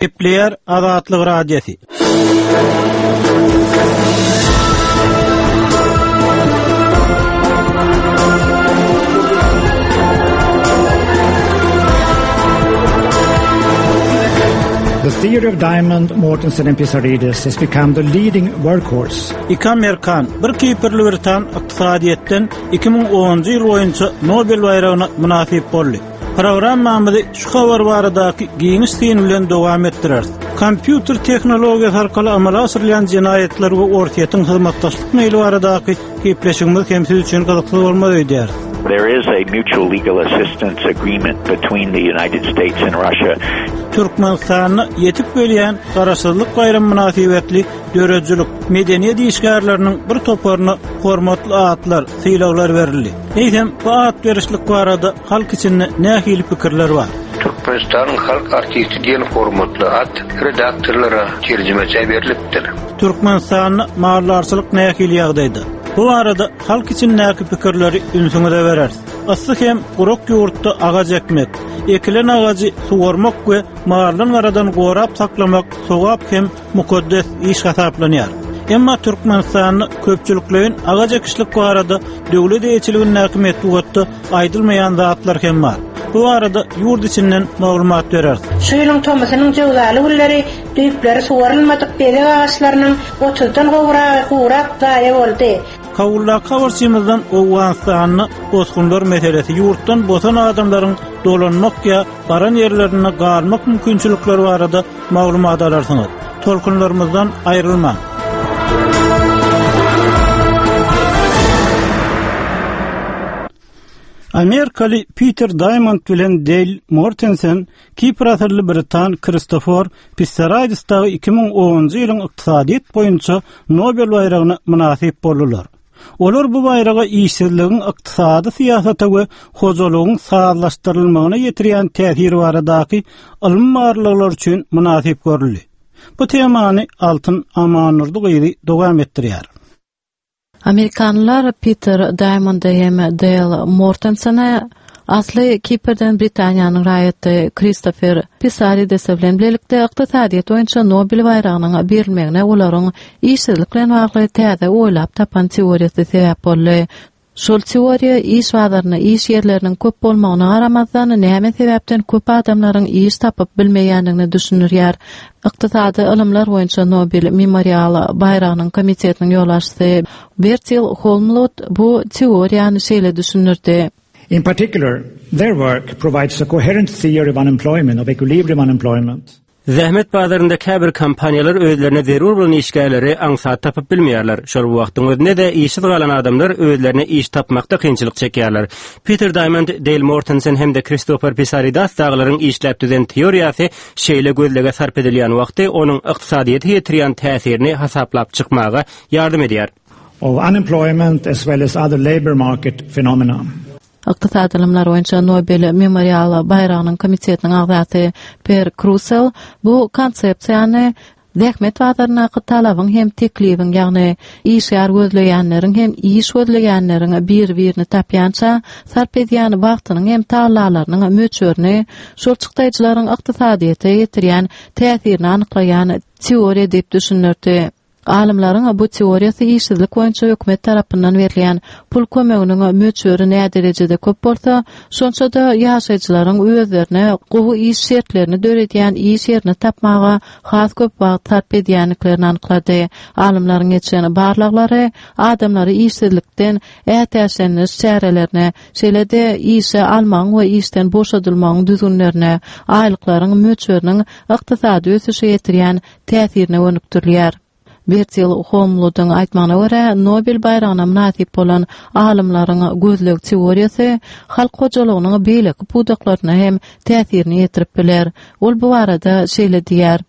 Gepleýär Azatlyk Radiosy. The theory of Diamond, Mortensen and Pissarides has become the leading workhorse. Iki amerikan, bir kiprli britan ykdysadyýetden 2010-njy ýyl boýunça Nobel baýragyna mynasyp boldy. Programmamyzy şu habar baradaky giňiş syn bilen dowam etdireris. Kompýuter tehnologiýasy arkaly amala aşyrylýan jenaýatlar we Orsýetiň hyzmatdaşlyk meýli baradaky gepleşigimiz hem siz üçin gyzykly bolmaz öýdýäris. There is a mutual legal assistance agreement between the United States and Russia. Türkmenistanda ýetip gelýän Garaşsyzlyk baýramy mynasybetli döredijilik, medeniýet işgärleriniň bir toparyna hormatly atlar, sylaglar berildi. Eýsem, bu at berişlik barada halk içinde nähili pikirler bar? Türkmenistanyň halk artisti diýen hormatly at redaktorlara, terjimeçä berlipdir. Türkmenistanda maldarçylyk nähili ýagdaýda? Bu barada halk içindäki pikirleri ünsüňize bereris. Yssy hem gurak ýurtda agaç ekmek, ekilen agajy suwarmak we maldan-garadan gorap saklamak sogap hem mukaddes iş hasaplanýar. Emma Türkmenistanda köpçülikleýin agaç ekişlik barada döwlet eýeçiligindäki metbugatda aýdylmaýan zatlar hem bar. Bu barada ýurt içinden maglumat bereris. Şu ýylyň tomusynyň jöwzaly günleri düýpleri suwarylmadyk bezeg agaçlarynyň otuzdan gowragy gurap, zaýa boldy. Kabuldaky habarçymyzdan Owganystanda bosgunlar meselesi, ýurtdan bosan adamlaryň dolanmak ýa baran ýerlerinde galmak mümkinçilikleri barada maglumat alarsyňyz. Tolkunlarymyzdan aýrylmaň! Amerikaly Piter Daýmond bilen Deýl Mortensen Kipr asylly britan Kristofor Pissaraýdis dagy 2010-njy ýylyň ykdysadyýet boýunça Nobel baýragyna mynasyp boldular. Olar bu baýraga işsizligiň ykdysady syýasata we hojalygyň sazlaşdyrylmagyna ýetirýän täsiri baradaky ylmy barlaglar üçin mynasyp görüldi. Bu temany Altyn Amandurdy gyzy dowam etdirýär. Amerikanlylar Piter Daýmondy hem Deýl Mortensene asly Kiprden Britaniýanyň raýaty Kristofer Pisaridese bilen bilelikde ykdysadyýet boýunça Nobel baýragynyň berilmegine olaryň işsizlik bilen bagly täze oýlap tapan teoriýasy sebäp boldy. Şol teoriýa iş bazarynda iş ýerleriniň köp bolmagyna garamazdan, näme sebäpden köp adamlaryň iş tapyp bilmeýändigini düşündirýär. Ykdysady ylymlar boýunça Nobel memorial baýragynyň komitetiniň ýolbaşçysy Bertil Holmlund bu teoriýany şeýle düşündirdi. In particular, their work provides a coherent theory of unemployment, of equilibrium unemployment. Zähmet bazarynda käbir kompaniýalar özlerine zerur bolan işgärleri aňsat tapyp bilmeýärler. Şol bir wagtyň özünde-de işsiz galan adamlar özlerine iş tapmakda kynçylyk çekýärler. Piter Daýmond, Deýl Mortensen hem-de Kristofer Pisaridas dagylaryň işläp düzen teoriýasy şeýle gözlege sarp edilýän wagty onuň ykdysadyýete ýetirýän täsirini hasaplap çykmaga ýardam edýär. Of unemployment as well as other labour market phenomena. Ykdysady ylymlar boýunça Nobel memorial baýragynyň komitetiniň agzasy Per Krusell bu konsepsiýany zähmet bazaryndaky talabyň hem teklibiň, ýagny işgär gözleýänleriň hem iş gözleýänleriň bir-birini tapýança sarp edýän wagtynyň hem tagallalarynyň möçberini, şol çykdaýjylaryň ykdysadyýete ýetirýän täsirini anyklaýan teoriýa diýip düşündirdi. Alymlaryň bu teoriýasy işsizlik boýunça hökümet tarapyndan berilýän pul kömeginiň möçberi näderejede köp bolsa, şonça-da ýaşaýjylaryň özlerine gowy iş şertlerini döredýän iş ýerini tapmaga has köp wagt sarp edýändiklerini anyklady. Alymlaryň geçiren barlaglary adamlary işsizlikden ätiýaçlendiriş çärelerine, şeýle-de işe almagyň we işden boşadylmagyň düzgünlerine, aýlyklaryň möçberiniň ykdysady ösüşe ýetirýän täsirine gönükdirilýär. Bertil Holmludyň aýtmagyna görä, Nobel baýragyna mynasyp bolan alymlaryň gözleg teoriýasy halk hojalygynyň beýleki pudaklaryna hem täsirini ýetirip biler. Ol bu barada şeýle diýýär.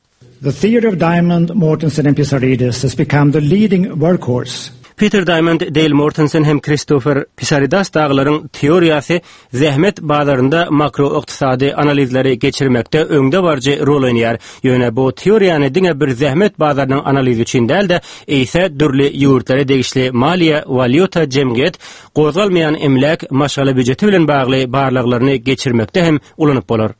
The theory of Diamond, Mortensen and Pissarides has become the leading workhorse. Piter Daýmond, Deýl Mortensen hem Kristofer Pissaridas dagylaryň teoriýasy Zähmet bazarynda makroykdysady analizleri geçirmekde öňdebaryjy rol oýnaýar. Ýöne bu teoriýany diňe bir zähmet bazarynyň analizi üçin däl-de, eýse dürli ýurtlara degişli maliýe, walýuta, jemgyýet, gozgalmaýan emläk, maşgala býujeti bilen bagly barlaglaryny geçirmekde hem ulanyp bolar.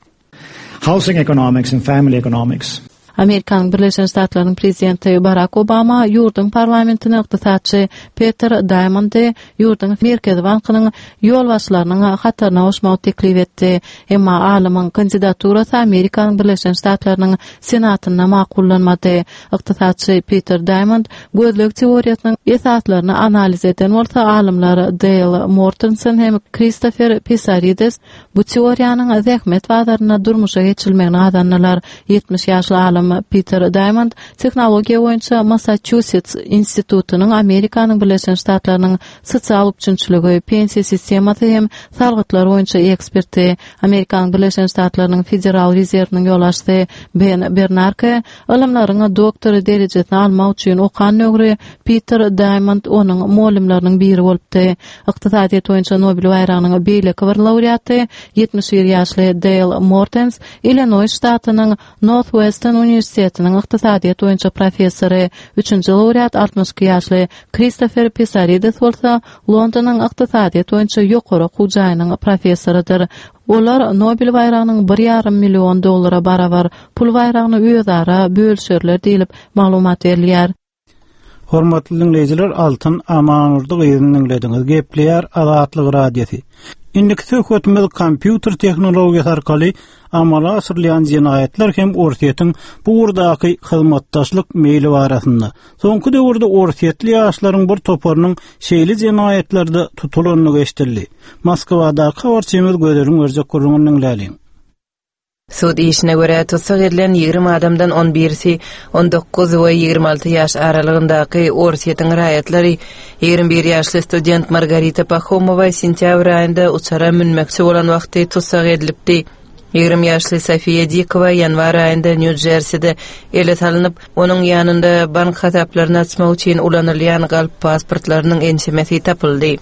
housing economics and family economics. Amerikanyň Birleşen Ştatlarynyň prezidenti Barak Obama ýurduň parlamentine ykdysatçy Peter Daýmondy ýurduň Merkezi bankynyň ýolbaşçylarynyň hataryna goşmagy teklip etdi. Emma alymyň kandidaturasy Amerikanyň Birleşen Ştatlarynyň Senatynda makullanmady. Ykdysatçy Peter Daýmond gözleg teoriýasynyň esaslaryny analiz eden bolsa, alymlar Deýl Mortensen hem Kristofer Pisarides Bu teoriýanyň zähmet bazarynda durmuşa geçirilmegini gazandylar. 70 ýaşly alym Piter Daýmond tehnologiýa boýunça Massaçusets institutynyň Amerikanyň Birleşen Ştatlarynyň sosial üpjünçiligi, pensiýa sistemasy hem salgytlar boýunça eksperti, Amerikanyň Birleşen Ştatlarynyň Federal rezerwiniň ýolbaşçysy Ben Bernanke ylymlaryň doktory derejesini almak üçin okan döwri Piter Daýmond onuň mugallymlarynyň biri bolupdy. Ykdysadyýet boýunça Nobel baýragynyň beýleki bir laureaty, 71 ýaşly Deýl Mortens, Illinoý ştatynyň Northwestern uniwersitetiniň ykdysadyýet boýunça professory, üçünji laureat 62 ýaşly Kristofer Pisarides bolsa Londonyň ykdysadyýet boýunça ýokary okuw jaýynyň professorydyr. Olar Nobel baýragynyň bir ýarym million dollara barabar pul baýragyny özara bölüşerler diýlip, maglumat berilýär. Hormatly diňleýjiler, Altyn Amanurdy gyzyny diňlediňiz. Gepleýär Azatlyk Radiosy. Indiki söhbetimiz kompýuter tehnologiýasy arkaly amala aşyrylýan jenaýatlar hem Orsýetiň bu ugurdaky hyzmatdaşlyk meýli barasynda. Soňky döwürde orsýetli ýaşlaryň bir toparynyň şeýle jenaýatlarda tutulandygy eşidildi. Moskwadaky habarçymyz Gözeliň berjek gürrüňini diňläliň. Sud işine görä, tussag edilen 20 adamdan on birisi 19 we 26 ýaş aralygyndaky Orsýetiň raýatlary. 21 ýaşly student Margarita Pahomowa sentýabr aýynda uçara münmekçi bolan wagty tussag edilipdi. 20 ýaşly Sofiýa Dikowa ýanwar aýynda Nýu-Jerside ele salnyp, onuň ýanynda bank hasaplaryny açmak üçin ulanylýan galp pasportlarynyň ençemesi tapyldy.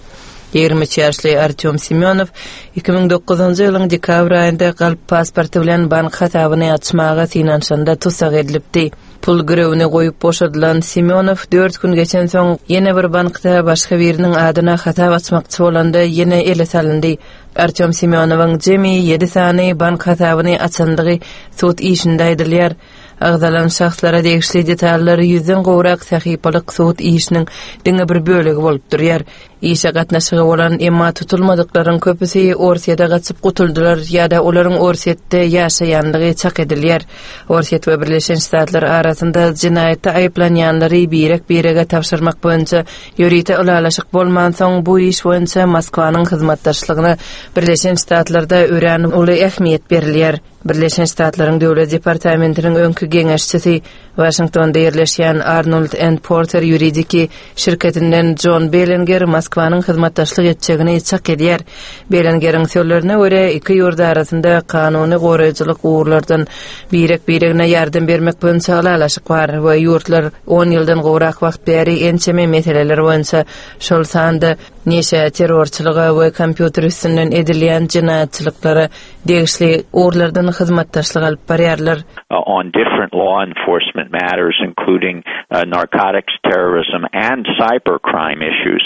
23 ýaşly Artýom Semýonow 2009-njy ýylyň dekabr aýynda galp pasporty bilen bank hasabyny açmaga synanyşanda tussag edilipdi. Pul girewini goýup boşadylan Semýonow dört gün geçensoň, ýene bir bankda başga biriniň adyna hasap açmakçy bolanda ýene ele salyndy. Artýom Semýonowyň jemi ýedi sany bank hasabyny açandygy sud işinde aýdylýar. Agzalan şahslara degişli detallar ýüzden gowrak sahypalyk sud işiniň diňe bir bölegi bolup durýar. Işe gatnaşygy bolan, emma tutulmadyklaryň köpüsi Orsýete gaçyp gutuldylar ýa-da olaryň Orsýetde ýaşaýanlygy çak edilýär. Orsýet we Birleşen Ştatlar arasynda jenaýatda aýyplanýanlary birek-birege tabşyrmak boýunça ýörite ylalaşyk bolmansoň, bu iş boýunça Moskwanyň hyzmatdaşlygyna Birleşen Ştatlarda örän uly ähmiýet berilýär. Birleşen Ştatlaryň Döwlet departamentiniň öňki geňeşçisi, Waşingtonda ýerleşýän Arnold and Porter ýuridiki şirketinden Jon Bellinger Moskwanyň hyzmatdaşlyk etjegini çak edýär. Bellingeriň sözlerine görä, iki ýurt arasynda kanuny goraýjylyk ugurlardan birek-biregine ýardam bermek boýunça ylalaşyk bar we ýurtlar on ýyldan gowrak wagt bäri ençeme meseleler boýunça, şol sanda neşä, terrorçylyga we kompýuter üstünden edilýän jenaýatçylyklara degişli ugurlardan hyzmatdaşlyk alyp barýarlar. on different law enforcement matters including narcotics, terrorism and cyber crime issues.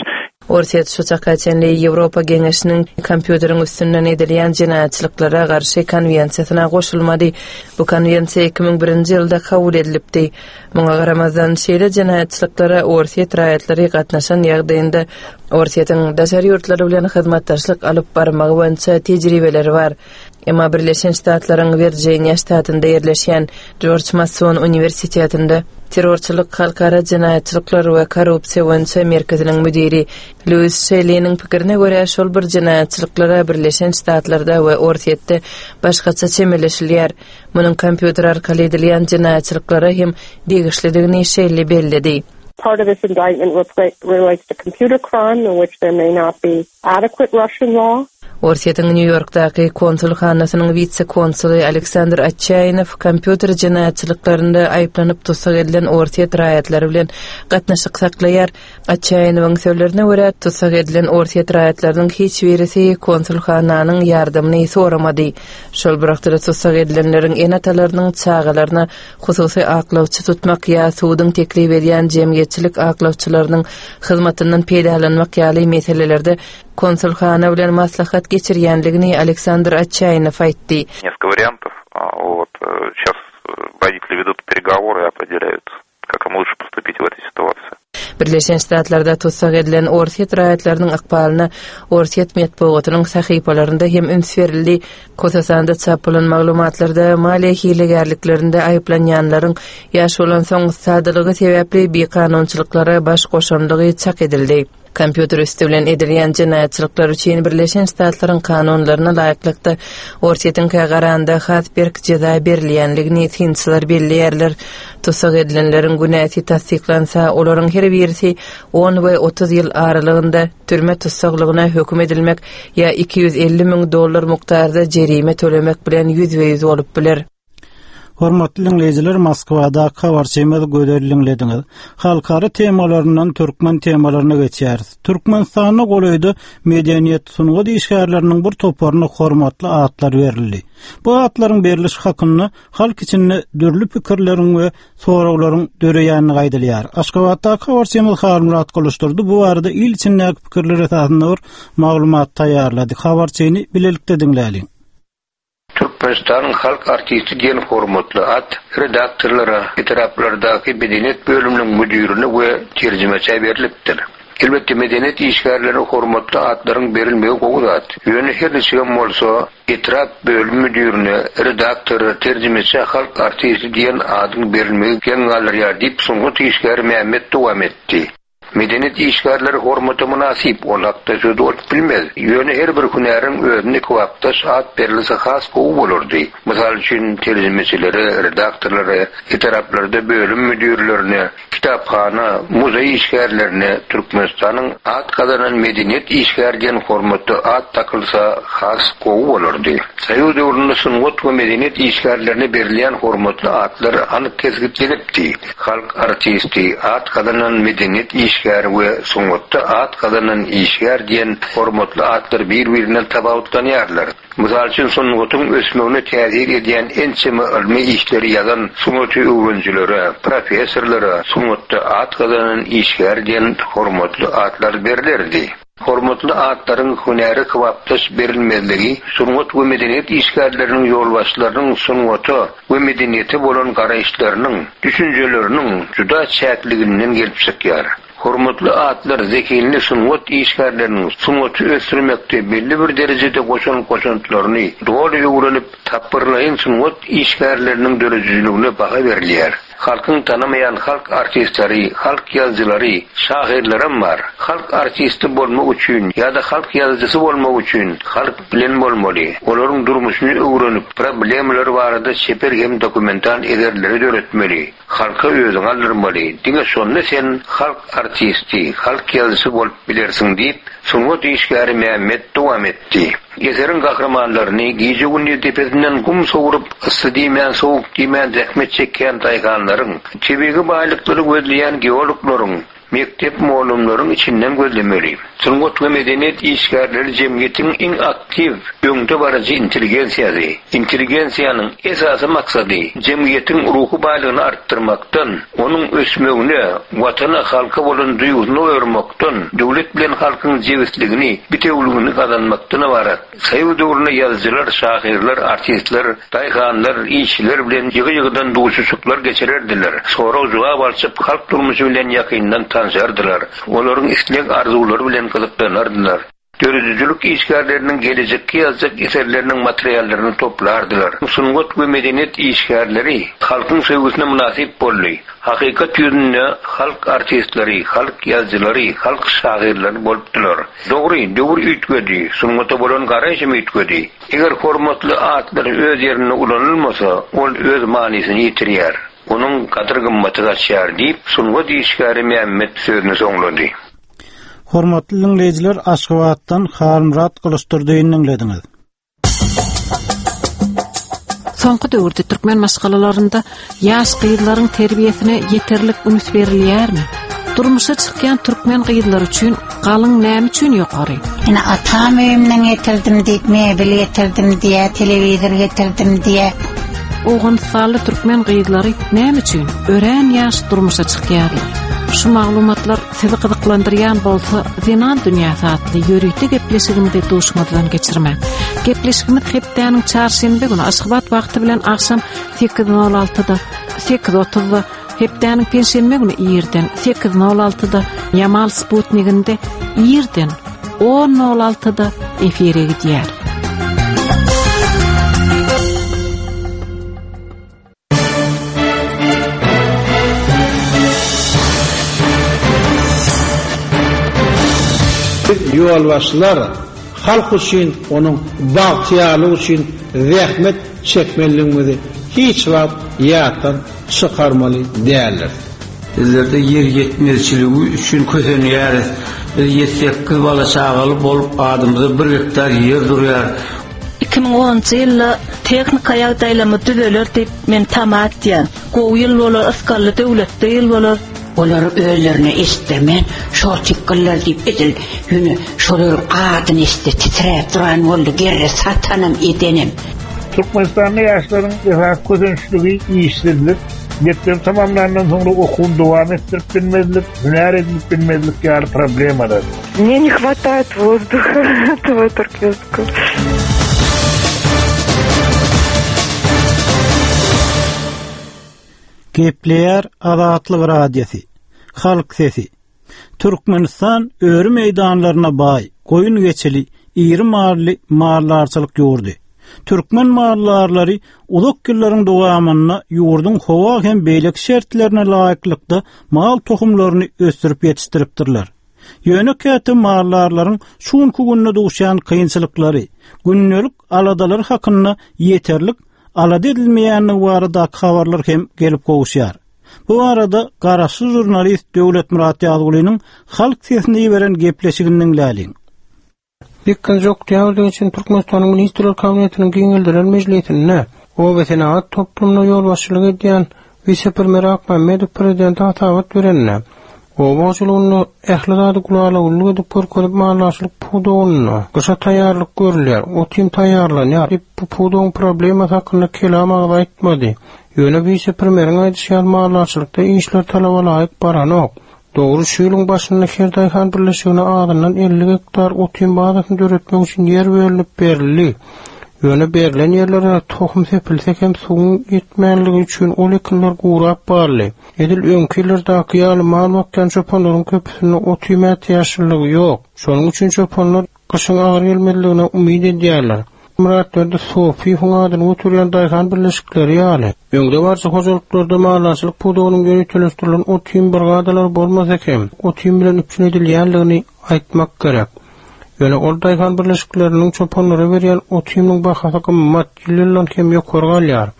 Orsýet şu çaka çenli Ýewropa Geňeşiniň kompýuteriň üstünden edilýän jenaýatçylyklara garşy konwensiýasyna goşulmady. Bu konwensiýa 2001-nji ýylda kabul edilipdi. Muňa garamazdan, şeýle jenaýatçylyklara orsýet raýatlary gatnaşan ýagdaýynda Orsýetiň daşary ýurtlar bilen hyzmatdaşlyk alyp barmagy boýunça tejribeleri bar. Emma Birleşen Ştatlaryň Wirjiniýa ştatynda ýerleşýän Jorj Mason uniwersitetinde terrorçylyk, halkara jenaýatçylyklar we korrupsiýa boýunça merkeziniň müdiri Luis Şelliniň pikirine görä, şol bir jenaýatçylyklara Birleşen Ştatlarda we Orsýetde başgaça çemeleşilýär. Munuň kompýuter arkaly edilýän jenaýatçylyklara hem degişlidigini Şelli belledi. Part of this indictment relates to computer crime in which there may not be adequate Russian law. Orsýetiň Nýu-Ýorkdaky konsulhanasynyň wise-konsuly Aleksandr Otçaýnow kompýuter jenaýatçylyklarynda aýyplanyp tussag edilen orsýet raýatlary bilen gatnaşyk saklaýar. Otçaýnowyň sözlerine görä, tussag edilen orsýet raýatlarynyň hiç birisi konsulhananyň ýardamyny soramady. Şol bir wagtda-da tussag edilenleriň ene-atalarynyň çagalaryna hususy aklawçy tutmak ýa suduň teklip edýän jemgyýetçilik aklawçylarynyň hyzmatyndan peýdalanmak ýaly meselelerde konsulhana bilen maslahat geçirýändigini Aleksandr Otçaýnow aýtdy. Несколько вариантов. Вот. Сейчас родители ведут переговоры и определяют, как им лучше поступить в этой ситуации. Birleşen Ştatlarda tussag edilen orsýet raýatlarynyň ykbalyna orsýet metbugatynyň sahypalarynda hem üns berildi. Hususan-da, çap bolan maglumatlarda maliýe hilegärliklerinde aýyplanýanlaryň ýaş bolansoň sadalygy sebäpli bikanunçylyklara baş goşandygy çak edildi. Kompýuter üsti bilen edilýän jenaýatçylyklar üçin Birleşen Ştatlaryň kanunlaryna laýyklykda, Orsýetiňkä garanda has berk jeza berilýänligini synçylar belleýärler. Tussag edilenleriň günäsi tassyklansa, olaryň her birisi on we 30 ýyl aralygynda türme tussaglygyna höküm edilmek ýa 250 müň dollar mukdarda jerime tölemek bilen ýüzbe-ýüz bolup biler. Hormatly diňleýjiler, Moskwadaky habarçymyz Gözel diňlediňiz. Halkara temalaryndan türkmen temalaryna geçýäris. Türkmenistanda golaýda medeniýet, sungat işgärleriniň bir toparyna hormatly atlar berildi. Bu atlaryň berlişi hakynda halk içinde dürli pikirleriň we soraglaryň döreýändigi aýdylýar. Aşgabatdaky habarçymyz Halmyrat Gylyçdurdy bu barada il içindäki pikirler esasynda bir maglumat taýýarlady. Habarçyny bilelikde diňläliň. Türkmenistanyň halk artisti diýen hormatly at redaktorlara, etraplardaky medeniýet bölüminiň müdirine we terjimeçä berlipdir. Elbetde, medeniýet işgärlerine hormatly atlaryň berilmegi gowy zat. Ýöne her niçigem bolsa, etrap bölüm müdirine, redaktora, terjimeçä halk artisti diýen adyň berilmegi geň galdyrýar diýip, sungat işgäri Mämmet dowam etdi. Medeniýet işgärleri hormata mynasyp, ol hakda söz bolup bilmez. Ýöne her bir hünäriň özüne kybapdaş at berilse has gowy bolardy. Mysal üçin, terjimeçilere, redaktorlara, etraplarda bölüm müdirlerine, kitaphana, muzeý işgärlerine Türkmenistanyň at gazanan medeniýet işgäri diýen hormatly at dakylsa has gowy bolardy. Soýuz döwründe sungat we medeniýet işgärlerine berilýän hormatly atlar anyk kesgitlenipdi. Halk artisti, at gazanan medeniýet işgäri we sungatda at gazanan işgär diýen hormatly atlar bir-birinden tapawutlanýarlar. Mysal üçin, sungatyň ösmegine täsir edýän ençeme ylmy işleri ýazan sungaty öwrenijilere, professorlara sungatda at gazanan işgär diýen hormatly atlar berlerdi. Hormatly atlaryň hünäre kybapdaş berilmezligi sungat we medeniýet işgärleriniň ýolbaşçylarynyň sungata we medeniýete bolan garaýyşlarynyň, düşünjeleriniň juda çäkliginden gelip çykýar. Hormatly atlar zehinli sungat işgärleriniň sungaty ösdürmekde belli bir derejede goşan goşantlaryny doly öwrenip, tapgyrlaýyn sungat işgärleriniň döredijiligine baha berilýär. Halkyň tanamaýan halk artistleri, halk ýazyjylary, şahyrlaram bar. Halk artisti bolmak üçin ýa-da halk ýazyjysy bolmak üçin halk bilen bolmaly, olaryň durmuşyny öwrenip, problemalary barada çeper hem dokumental eserleri döretmeli, halka özüňi aldyrmaly, diňe şonda sen halk artisti, halk ýazyjysy bolup bilersiň diýip, sungat işgäri Mämmet dowam etdi. Eseriň gahrymanlaryny gije-gündiz depesinden gum sowrup, yssy diýmän, sowuk diýmän zähmet çekýän daýhanlaryň, tebigy baýlyklary gözleýän geologlaryň, mekdep mugallymlaryň içinden gözlemeli. Sungat we medeniýet işgärleri jemgyýetiň iň aktiw, öňde baryjy intelligensiýasy. Intelligensiýanyň esasy maksady jemgyýetiň ruhy baýlygyny artdyrmakdan, onuň ösmegine, Watana, halka bolan duýgusyny oýarmakdan, döwlet bilen halkyň jebisligini, bitewüligini gazanmakdan ybarat. Soýuz döwründe ýazyjylar, şahyrlar, artistler, daýhanlar, işçiler bilen ýygy-ýygydan duşuşyklar geçirerdiler, sorag-jogap alşyp, halk durmuşy bilen ýakyndan tanşardylar, olaryň isleg-arzuwlary bilen gyzyklanardylar. Döredijilik işgärleriniň gelejekki ýazjak eserleriniň materiallaryny toplardylar. Sungat we medeniýet işgärleri halkyň söýgüsine mynasyp boldy. Hakykat ýüzünde halk artistleri, halk ýazyjylary, halk şahyrlary bolupdylar. Dogry, döwür üýtgedi, sungata bolan garaýyş hem üýtgedi. Eger hormatly atlar öz ýerinde ulanylmasa, ol öz manysyny ýitirýär, onuň gadyr-gymmaty gaçýar diýip, sungat işgäri Mämmet sözüni soňlady. Hormatly diňleýjiler Aşgabatdan Halmyrat Gylyçdurdyny diňlediňiz. Soňky döwürde türkmen maşgalalarynda ýaş gyzlaryň terbiýesine ýeterlik üns berilýärmi? Durmuşa çykýan türkmen gyzlary üçin galyň näme üçin ýokary? Ine atam öýümden getirdim diýip mebel getirdim diýä, telewizor getirdim diýä. Owganystanly türkmen gyzlary näme üçin örän ýaş durmuşa çykýarlar? Şu maglumatlar Sizi gyzyklandyrýan bolsa Zenan dünýäsi atly ýörite gepleşigimizi duşuňyzdan geçirmäň. Gepleşigimiz hepdäniň çarşenbe güni Aşgabat wagty bilen agşam 8:06-da, 8:30-da, hepdäniň penşenbe güni irden 8:06-da Ýamal Sputniginde irden 10:06-da efire gidýär. Biz ýolbaşçylar halk üçin, onuň bagtyýarlygy üçin zähmet çekmelidigimizi hiç wagt ýatdan çykarmaly däldiris. Bizlerde ýer ýetmezçiligi üçin kösenýäris. Biz ýedi-sekiz bala-çagaly bolup, adymyza bir gektar ýer durýar. 2010-njy ýylda tehnika ýagdaýlarymyz düzeler diýip men tama etýän. Gowy ýyl bolar, ysgally döwletli ýyl bolar. Olary özlerine eşitdirmän, şol tykgyllar diýip edil ýöne şolaryň adyny eşitse titräp duran boldy gerre satanam edenem. Türkmenistanda ýaşlaryň esasy kösençligi işsizlik, mekdebi tamamlandan soňra okuwyny dowam etdirip bilmezlik, hünär edinip bilmezlik ýaly problemalar. Мне не хватает воздуха этого туркменского. Gepleýär Azatlyk Radiosy. Halk sesi. Türkmenistan öri meýdanlaryna baý, goýun-geçili, iri mally maldarçylyk ýurdy. Türkmen maldarlary uzak ýyllaryň dowamynda ýurduň howa hem beýleki şertlerine laýyklykda mal tohumlaryny ösdürip ýetişdiripdirler. Ýöne käte maldarlaryň şu günki günde duşýan kynçylyklary, gündelik aladalary hakynda ýeterlik alada edilmeýändigi baradaky habarlar hem gelip gowuşýar. Bu barada garaşsyz žurnalist Döwletmyrat Ýazgulynyň Halk sesine iberen gepleşigini diňläliň. Sekizinji oktýabrda geçen Türkmenistanyň Ministrler Kabinetiniň giňeldilen mejlisinde obasenagat toplumyna ýolbaşçylyk edýän wise-premýer Akmämmedow prezidente hasabat berende, oba hojalygynda ähli zady gülala-güllük edip görkezip maldarçylyk pudagynda gyşa taýýarlyk görülýär, ot-iým taýýarlanýar diýip, bu pudagyň problemasy hakynda kelam agyz aýtmady. Ýöne wise-premýeriň aýdyşy ýaly maldarçylykda işler talaba laýyk baranok. Dogry, şu ýylyň başynda her daýhan birleşigine azyndan 50 gektar ot-iým bazasyny döretmek üçin ýer bölünip berildi. Ýöne berlen ýerlere tohum sepilse hem suwuň ýetmänligi üçin ol ekinler gurap galdy. Edil öňki ýyllardaky ýaly mal bakýan çopanlaryň köpüsinde ot-iým ätiýaçlylygy ýok. Şonuň üçin çopanlar Gyşyň agyr gelmezligine umyt edýärler. Myratberdi Sopyýewiň adyny göterýän daýhan birleşikleri ýaly, öňdebaryjy hojalyklarda maldarçylyk pudagynyň ýöriteleşdirilen ot-iým brigadalary bolmasa hem, ot-iým bilen üpjün edilýänligini aýtmak gerek. Ýöne ol daýhan birleşikleriniň çopanlara berýän ot-iýminiň bahasy gymmat, ýyl-ýyldan hem ýokary galýar.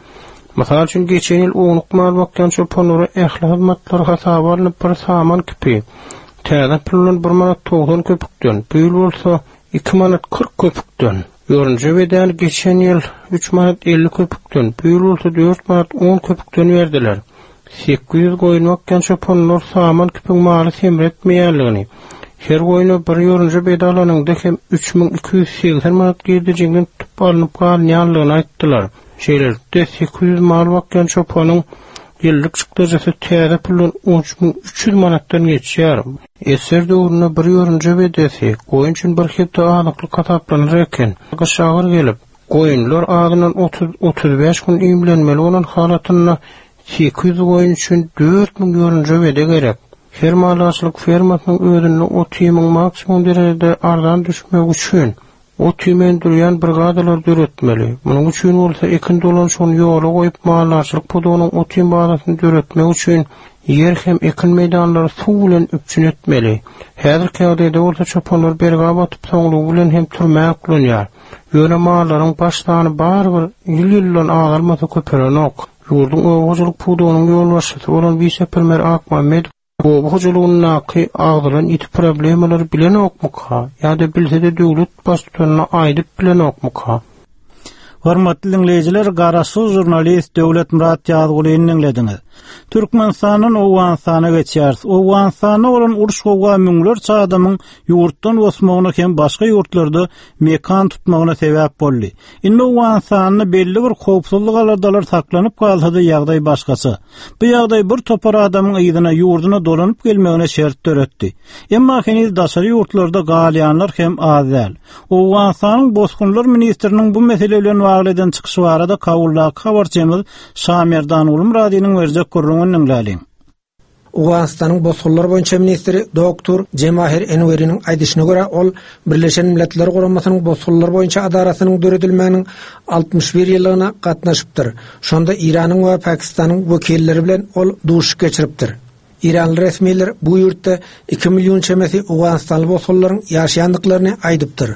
Mysal üçin, geçen ýyl ownuk mal bakýan çopanlara ähli hyzmatlar hasaba alnyp bir saman kipi, Täze pul bilen bir manat 90 köpükden, bu ýyl bolsa 2 manat 40 köpükden. Ýorunja bedäni geçen ýyl 3 manat 50 köpükden, bu ýyl bolsa 4 manat 10 köpükden berdiler. 800 goýun bakýan çopanlar saman küpüň maly semretmeýänligini, her goýna bir ýorunja bede alanyňda hem 3280 manat girdejiňden tutup alnyp galynýanlygyny aýtdylar. Şeýlelikde, 800 mal bakýan çopanyň Ýyllyk çykdajysy täze puldan 13 300 manatdan geçýär. Ssr döwründe bir ýorunja bedesi goýun üçin bir hepde azyklyk hasaplanar eken. Gyş agyr gelip, goýunlar azyndan otuz-otuz bäş gün iýmlenmeli bolan halatynda 800 goýun üçin 4000 ýorunja bede gerek. Her maldarçylyk fermasynyň özünde ot-iýmiň maksimum derejede arzan düşmegi üçin Ot-iým öndürýän brigadalar döretmeli. Munuň üçin bolsa ekin dolanyşygyny ýola goýup, maldarçylyk pudagynyň ot-iým bazasyny döretmek üçin ýer hem ekin meýdanlary suw bilen üpjün etmeli. Häzirki ýagdaýda bolsa çopanlar bergä batyp, soňlugy bilen hem türmä oklanýar. Ýöne mallaryň baş sany barybir ýyl-ýyldan azalmasa köpelenok. Ýurduň oba hojalyk pudagynyň ýolbaşçysy bolan wise-premýer Akmämmedow Oba hojalygyndaky agzalan ýiti problemalary bilenokmyka ýa-da bilse-de döwlet baştutanyna aýdyp bilenokmyka? Hormatly diňleýjiler, garaşsyz žurnalist Döwletmyrat Ýazgulyny diňlediňiz. Türkmenistandan Owganystana geçýäris. Owganystanda bolan uruş-gowga müňlerçe adamyň ýurtdan bosmagyna hem başga ýurtlarda mekan tutmagyna sebäp boldy. Indi Owganystanda belli bir howpsuzlyk aladalary saklanyp galsa-da ýagdaý başgaça. Bu ýagdaý bir topar adamyň yzyna ýurduna dolanyp gelmegine şert döretdi. Emma heniz daşary ýurtlarda galýanlar hem az däl. Owganystanyň bosgunlar ministriniň bu mesele bilen bagly eden çykyşy barada Kabuldaky habarçymyz Şamerdan Gulmyradynyň berjek gürrüňini diňläliň. Owganystanyň bosgunlar boýunça ministri doktor Jemahir Enweriniň aýdyşyna görä, ol Birleşen Milletler Guramasynyň bosgunlar boýunça edarasynyň döredilmeginiň 61 ýyllygyna gatnaşypdyr. Şonda Eýranyň we Pakistanyň wekilleri bilen ol duşuşyk geçiripdir. Eýranly resmiler bu ýurtda iki million çemesi owganystanly bosgunlaryň ýaşaýandyklaryny aýdypdyr.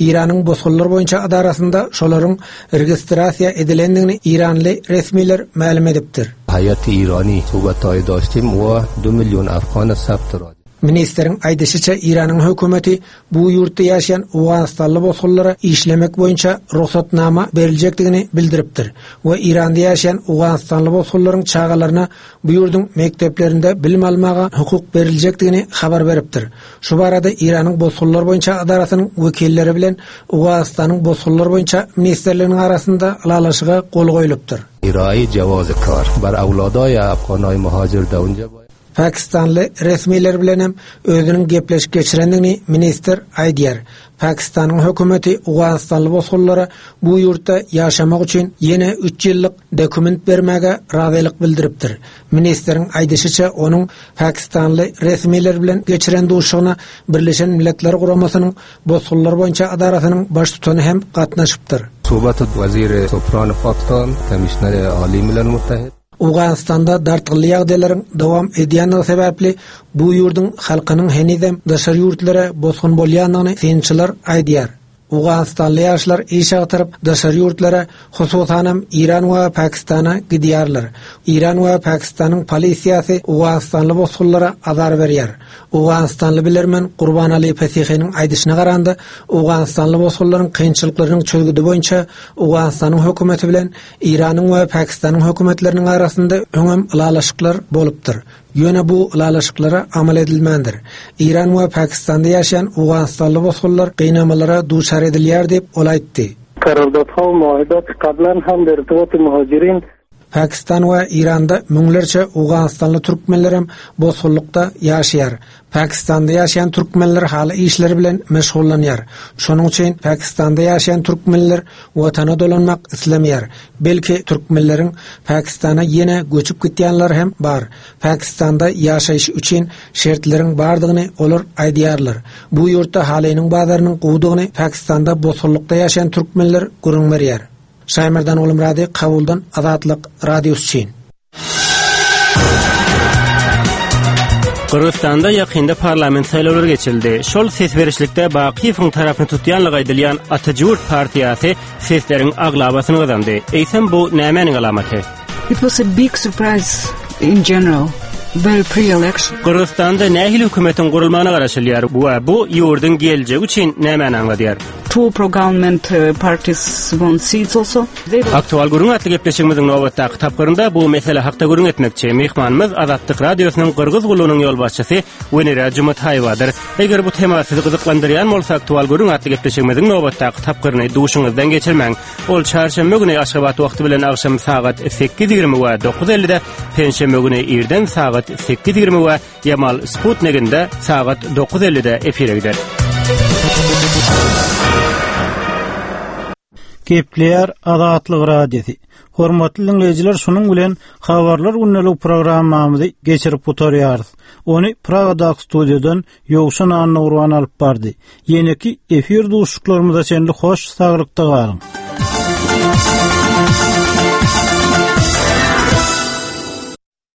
Eýranyň bosgunlar boýunça edarasynda şolaryň registrasiýa edilendigini eýranly resmiler mälim edipdir. Haýat Eýrany suhbathaý doştim we du million afgana sabt rod. Ministriň aýdyşyça, Eýranyň hökümeti bu ýurtda ýaşaýan owganystanly bosgunlara işlemek boýunça rugsatnama beriljekdigini bildiripdir we Eýranda ýaşaýan owganystanly bosgunlaryň çagalaryna bu ýurduň mekdeplerinde bilim almaga hukuk beriljekdigini habar beripdir. Şu barada Eýranyň bosgunlar boýunça edarasynyň wekilleri bilen Owganystanyň bosgunlar boýunça ministrliginiň arasynda ylalaşyga gol goýlupdyr. Iraýy jawazy kar bar awladaýa afganaý muhajir da unja baýa. Pakistanly resmiler bilen hem özüniň gepleşik geçirendigini ministr aýdýar. Pakistanyň hökümeti owganystanly bosgunlara bu ýurtda ýaşamak üçin ýene üç ýyllyk dokument bermäge razylyk bildiripdir. Ministriň aýdyşyça, onuň pakistanly resmiler bilen geçiren duşuşygyna Birleşen Milletler Guramasynyň Bosgunlar boýunça edarasynyň baştutany hem gatnaşypdyr. Suhbat weziri Sopran Pakistan, Komişneri Aly Milal Muttahid. Owganystanda dartgynly ýagdaýlaryň dowam edýändigi sebäpli bu ýurduň halkynyň henizem daşary ýurtlara bosgun bolýandygyny synçylar aýdýar. Owganystanly ýaşlar iş agtaryp daşary ýurtlara, hususanam Eýran we Pakistana gidýärler. Eýran we Pakistanyň polisiýasy owganystanly bosgunlara azar berýär. Owganystanly bilermen Gurbanali Fesihiniň aýdyşyna garanda, owganystanly bosgunlaryň kynçylyklarynyň çözgüdi boýunça Owganystanyň hökümeti bilen Eýranyň we Pakistanyň hökümetleriniň arasynda öňem ylalaşyklar bolupdyr. Ýöne bu ylalaşyklara amal edilmändir. Eýran we Pakistanda ýaşaýan owganystanly bosgunlar gynamalara duçar edilýär diýip, ol aýtdy. Karardadha we muahidat kablan ham der irtibat muhajirin. Pakistan we Eýranda müňlerçe owganystanly türkmenlerem bosgunlykda ýaşaýar. Pakistanda ýaşaýan türkmenler haly işleri bilen meşgullanýar. Şonuň üçin Pakistanda ýaşaýan türkmenler watana dolanmak islemeýär. Belki türkmenleriň Pakistana ýene göçüp gitýänleri hem bar. Pakistanda ýaşaýyş üçin şertleriň bardygyny olar aýdýarlar. Bu ýurtda halynyň bazarynyň gowudygyny Pakistanda bosgunlykda ýaşaýan türkmenler gürrüň berýär. Şaýmerdan Gulmyrady Kabuldan Azatlyk Radiosy üçin. Gyrgyzystanda ýakynda parlament saýlawlary geçirildi. Şol ses berişlikde Bakyýewiň tarapyny tutýanlygy aýdylýan Ata-Jurt partiýasy sesleriň aglabasyny gazandy. Eýsem bu nämäniň alamaty? It was a big surprise in general. Very pre-election. Gyrgyzystanda nähili hökümetiň gurulmagyna garaşylýar we bu ýurduň geljegi üçin nämäni aňladýar? Two pro-government uh, parties won seats also. Aktual gürrüň atly gepleşigimiziň nobatdaky tapgyrynda bu mesele hakda gürrüň etmekçi. Myhmanymyz Azatlyk Radiosynyň Gyrgyz gullugynyň ýolbaşçysy Wenera Jumataýewadyr. Eger bu tema sizi gyzyklandyrýan bolsa, Aktual gürrüň atly gepleşigimiziň nobatdaky tapgyryny duşuňyzdan geçirmäň. Ol çarşenbe güni Aşgabat wagty bilen agşam sagat 8:20 we 9:50-de, penşenbe güni irden sagat 8:20 we Ýamal Sputniginde sagat 9:50-de efire gider. Gepleýär Azatlyk Radiosy. Hormatly diňleýjiler, şunuň bilen Habarlar gündelik programmamyzy geçirip gutarýarys. Ony Pragadaky studiýadan Ýowşan Annagurban alyp bardy. Ýeneki efir duşuşyklarymyza çenli hoş saglykda galyň.